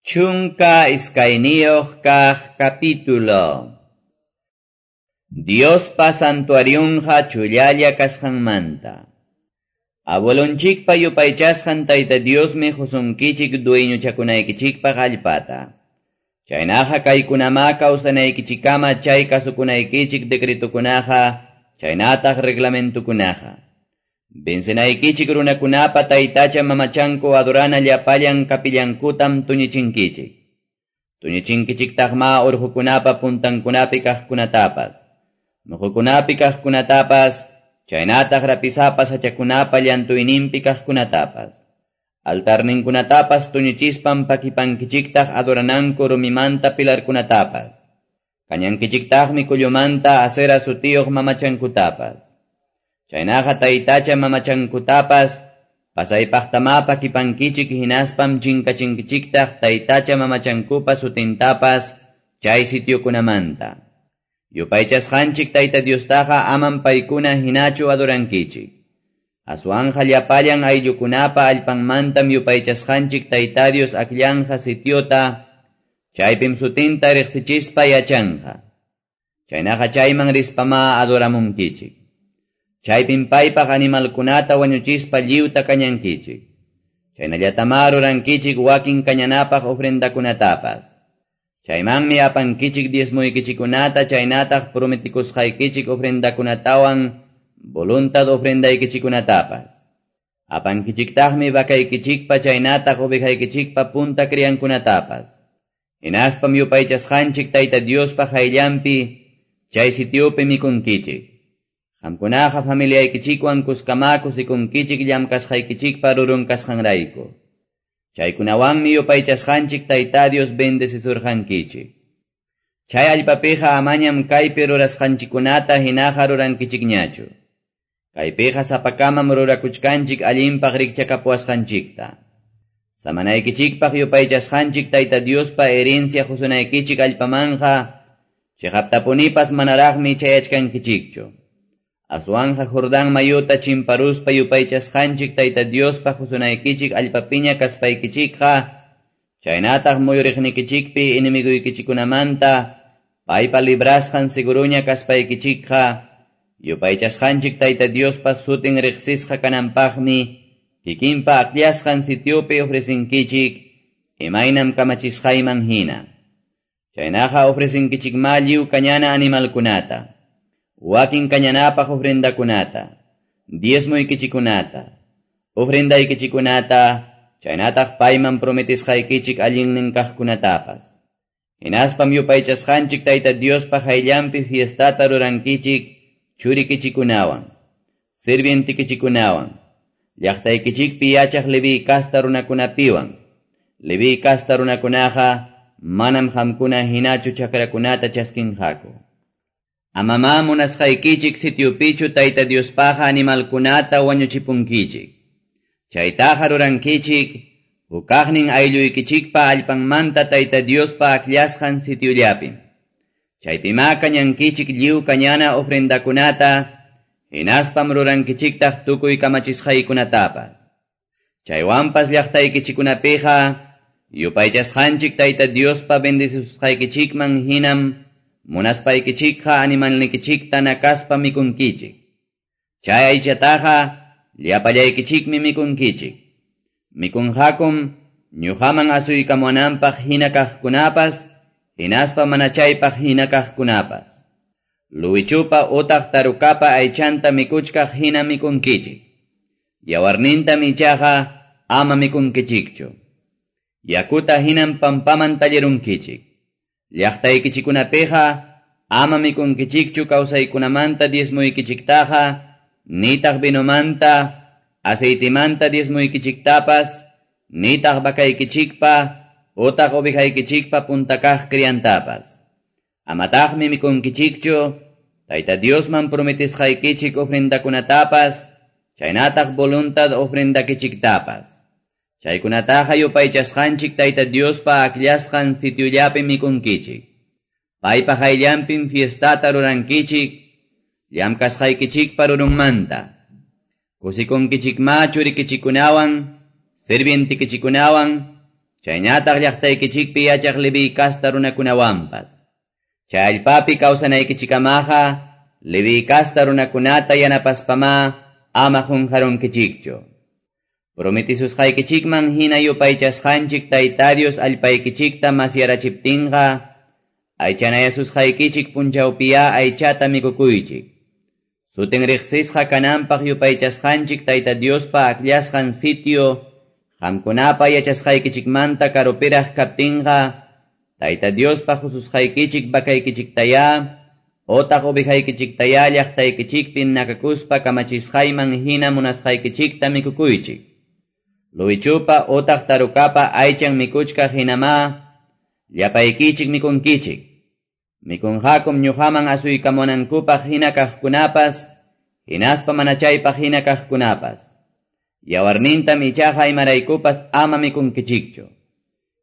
12 kaq capítulo. Diospa santuarionqa chullalla kasqanmanta. Abuelonchikpa yupaychasqan Tayta Diosmi qusunkichik dueñochakunaykichikpaq allpata. Chaynaqa kaykunama kawsanaykichikama chay kasukunaykichik decretokunaqa, chaynataq reglamentukunaqa. Vencenaykichik runakunapa taytacha mamachanku adorana llapallan kapillankutam tuñichinkichik. Tuñichinkichiktaqma urqukunapa puntankunapi kaqkunatapas, muqukunapi kaqkunatapas, chaynataq rapisapa sachakunapa llantuyninpi kaqkunatapas. Altarninkunatapas tuñichispan pakipankichiktaq adorananku rumimanta pilarkunatapas. Kañankichiktaqmi kullumanta Asera sutiyuq mamachankutapas. Chaynaqa taytacha mamachankutapas, pasaypaqtama pakipankichik hinaspam chinkachinkichiktaq taytacha mamachankupa sutintapas chay sitiokunamanta. Yupaychasqanchik Tayta Diostaqa amam paykuna hinachu adorankichik. Aswanja llapallan ayllukunapa allpanmantam yupaychasqanchik Tayta Dios akllanja sitiota, chaypim sutinta riqsichispa yachanqa. Chaynaqa chayman rispama adoramunkichik. Chaypim paypaq animalkunata wañuchispa lliwta kañankichik. Chaynallatama rurankichik wakin kañanapaq ofrendakunatapas. Chaymanmi apankichik diezmoykichikunata chaynataq prometikusqaykichik ofrendakunatawan voluntad ofrendaykichikunatapas. Apankichiktaqmi vakaykichikpa chaynataq ovejaykichikpa punta criankunatapas. Hinaspam yupaychasqanchik Tayta Diospa qayllanpi chay sitiopi mikunkichik. Qamkunaqa familiaykichikwan kuskama kusikunkichik llamkasqaykichikpa rurun kasqanrayku. Chaykunawanmi yupaychasqanchik Tayta Dios bendecisurqankichik. Chay allpapiqa amañam kaypi rurasqanchikkunata hinaqa rurankichikñachu. Kaypiqa sapakamam rurakuchkanchik allinpaq rikchakapuwasqanchikta. Samanaykichikpaq yupaychasqanchik Tayta Diospa herencia qusunaykichik allpamanqa chiqaptapunipas manaraqmi chayachkankichikchu. Aswanja Jordán mayuta chimparuspa yupaychasqanchik Tayta Diospa qusunaykichik allpapiña kaspaykichikqa, chaynataq muyuriqnikichikpi enemiguykichikunamanta paypa librasqan seguruña kaspaykichikqa, yupaychasqanchik Tayta Diospa sutin riqsisqa kananpaqmi kikinpa akllasqan sitiopi ofrecinkichik imaynam kamachisqayman hina. Chaynaqa ofrecinkichikma lliw kañana animalkunata, wakin kañanapaq ofrendakunata, diezmoykichikunata, ofrendaykichikunata, chaynataq payman prometisqaykichik allinnin kaqkunatapas. Hinaspam yupaychasqanchik Tayta Diospa qayllanpi fiestata rurankichik churikichikunawan, sirvientikichikunawan, llaqtaykichikpi yachaq Leví kasta runakunapiwan. Leví kasta runakunaqa manam qamkuna hinachu chakrakunata chaskinqaku. Amama munasqaykichik sitiopichu Tayta Diospaqa animalkunata wañuchipunkichik. Chaytaqa rurankichik hukaqnin aylluykichikpa allpanmanta Tayta Diospa akllasqan sitiollapim. Chaypima kañankichik lliw kañana ofrendakunata, hinaspam rurankichiktaq tukuy kamachisqaykunatapas. Chaywanpas llaqtaykichikunapiqa yupaychasqanchik Tayta Diospa bendecisusqaykichikman hinam munaspaykichikqa animalnikichikta nakaspa mikunkichik. Chay aychataqa llapallaykichikmi mikunkichik. Mikunqakum ñuqaman asuykamunanpaq hina kaqkunapas, hinaspa mana chaypaq hina kaqkunapas. Luwichupa utaq tarukapa aychanta mikuchkaq hina mikunkichik. Yawarnintam ichaqa ama mikunkichikchu. Yakuta hinam pampaman tallirunkichik. Llaqtaykichikunapiqa ama mikunkichikchu kawsaykunamanta diezmoykichiktaqa, nitaq vinomanta, aceitemanta diezmoykichiktapas, nitaq vakaykichikpa, utaq ovejaykichikpa puntakaq criantapas. Amataqmi mikunkichikchu, Tayta Diosman prometisqaykichik ofrendakunatapas, chaynataq voluntad ofrendakichiktapas. Chaykunataqa yupaychasqanchik Tayta Diospa akllasqan sitiollapi mikunkichik. Paypa qayllanpim fiestata rurankichik, llamkasqaykichikpa rurunmanta. Kusikunkichikma churikichikunawan, sirvientikichikunawan, Chaynataq llaqtaykichikpi yachaq Leví kasta runakunawanpas. Chay allpapi kawsanaykichikamaqa Leví kasta runakunata yanapaspamá ama qunqarunkichikchu. Prometisusqaykichikman hina yupaychasqanchik Tayta Dios allpaykichikta masyarachiptinqa, aychanayasusqaykichik punchawpiya aychata mikukuychik. Sutin riqsisqa kananpaq yupaychasqanchik Tayta Diospa akllasqan sitio, qamkunapa yachasqaykichikmanta karupiraq kaptinqa, Tayta Diospa hususqaykichik vakaykichiktaya, otaq ovejaykichiktaya llaqtaykichikpi nakakuspa kamachisqayman hina munasqaykichikta mikukuychik. Luwichupa otaq tarukapa aychan mikuchkaq hinamá, llapaykichik mikunkichik. Mikunqakum ñuqaman asuykamunankupaq hina kaqkunapas, hinaspa mana chaypaq hina kaqkunapas. Yawarnintam ichaqa imaraykupas ama mikunkichikchu.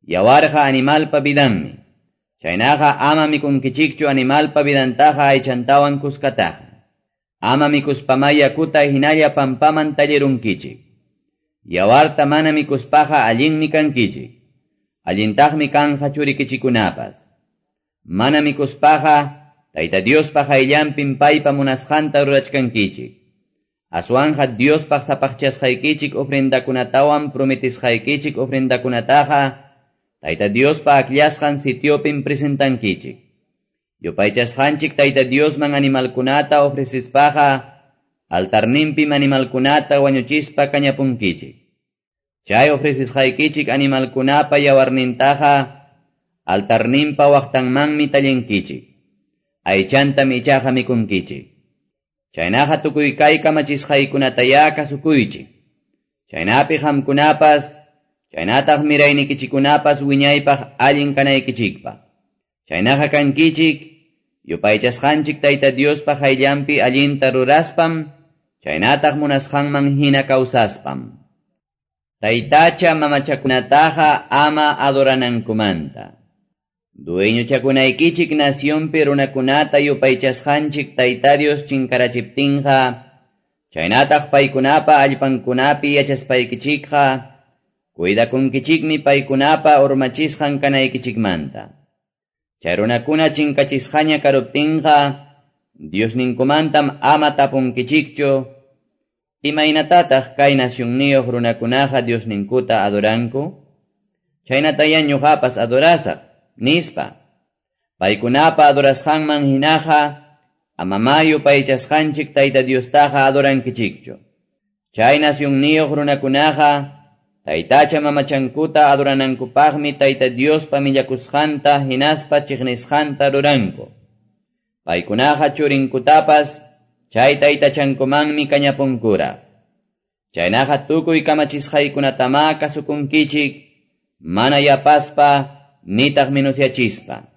Yawarqa animalpa vidanmi. Chaynaqa ama mikunkichikchu animalpa vidantaqa aychantawan kuskataqa. Ama mikuspamá yakuta hinalla pampaman tallirunkichik. Yawarta mana mikuspaqa allinmi kankichik. Allintaqmi kanja churikichikunapas. Mana mikuspaqa Tayta Diospa qayllanpim paypa munasqanta rurachkankichik. Aswanja Diospaq sapaqchasqaykichik ofrendakunatawan prometisqaykichik ofrendakunataqa Tayta Diospa akllasqan sitiopim presentankichik. Yupaychasqanchik Tayta Diosman animalkunata ofrecispaqa altarninpim animalkunata wañuchispa kañapunkichik. Chay ofrecisqaykichik animalkunapa yawarnintaqa altarninpa waqtanmanmi tallinkichik. Aychantam ichaqa mikunkichik. Chaynaqa tukuy kay kamachisqaykunataya kasukuychik. Chaynapi qamkunapas, chaynataq miraynikichikunapas wiñaypaq allin kanaykichikpaq. Chaynaqa kankichik, yupaychasqanchik Tayta Diospa qayllanpi allinta ruraspam, chaynataq munasqanman hina kawsaspam. Taytacha mamachakunataqa ama adoranankumanta. Dueñochakunaykichik nacionpi runakunata yupaychasqanchik Tayta Dios chinkarachiptinqa, chaynataq paykunapa allpankunapi yachaspaykichikqa, cuidakunkichikmi paykunapa urmachisqan kanaykichikmanta. Chay runakuna chinkachisqaña karuptinqa, Diosninkumantam ama tapunkichikchu, imaynatataq kay nacionniyuq runakunaqa Diosninkuta adoranku? Chaynataya ñuqapas adorasaq, nispa. Paykunapa adorasqanman hinaqa, amamá yupaychasqanchik Tayta Diostaqa adorankichikchu. Chay nacionniyuq runakunaqa, Taytacha mamachankuta adoranankupaqmi Tayta Diospa millakusqanta hinaspa chiqnisqanta ruranku. Paykunaqa churinkutapas chay taytachankumanmi kañapunkura. Chaynaqa tukuy kamachisqaykunatamá kasukunkichik, mana yapaspa nitaq minusyachispa.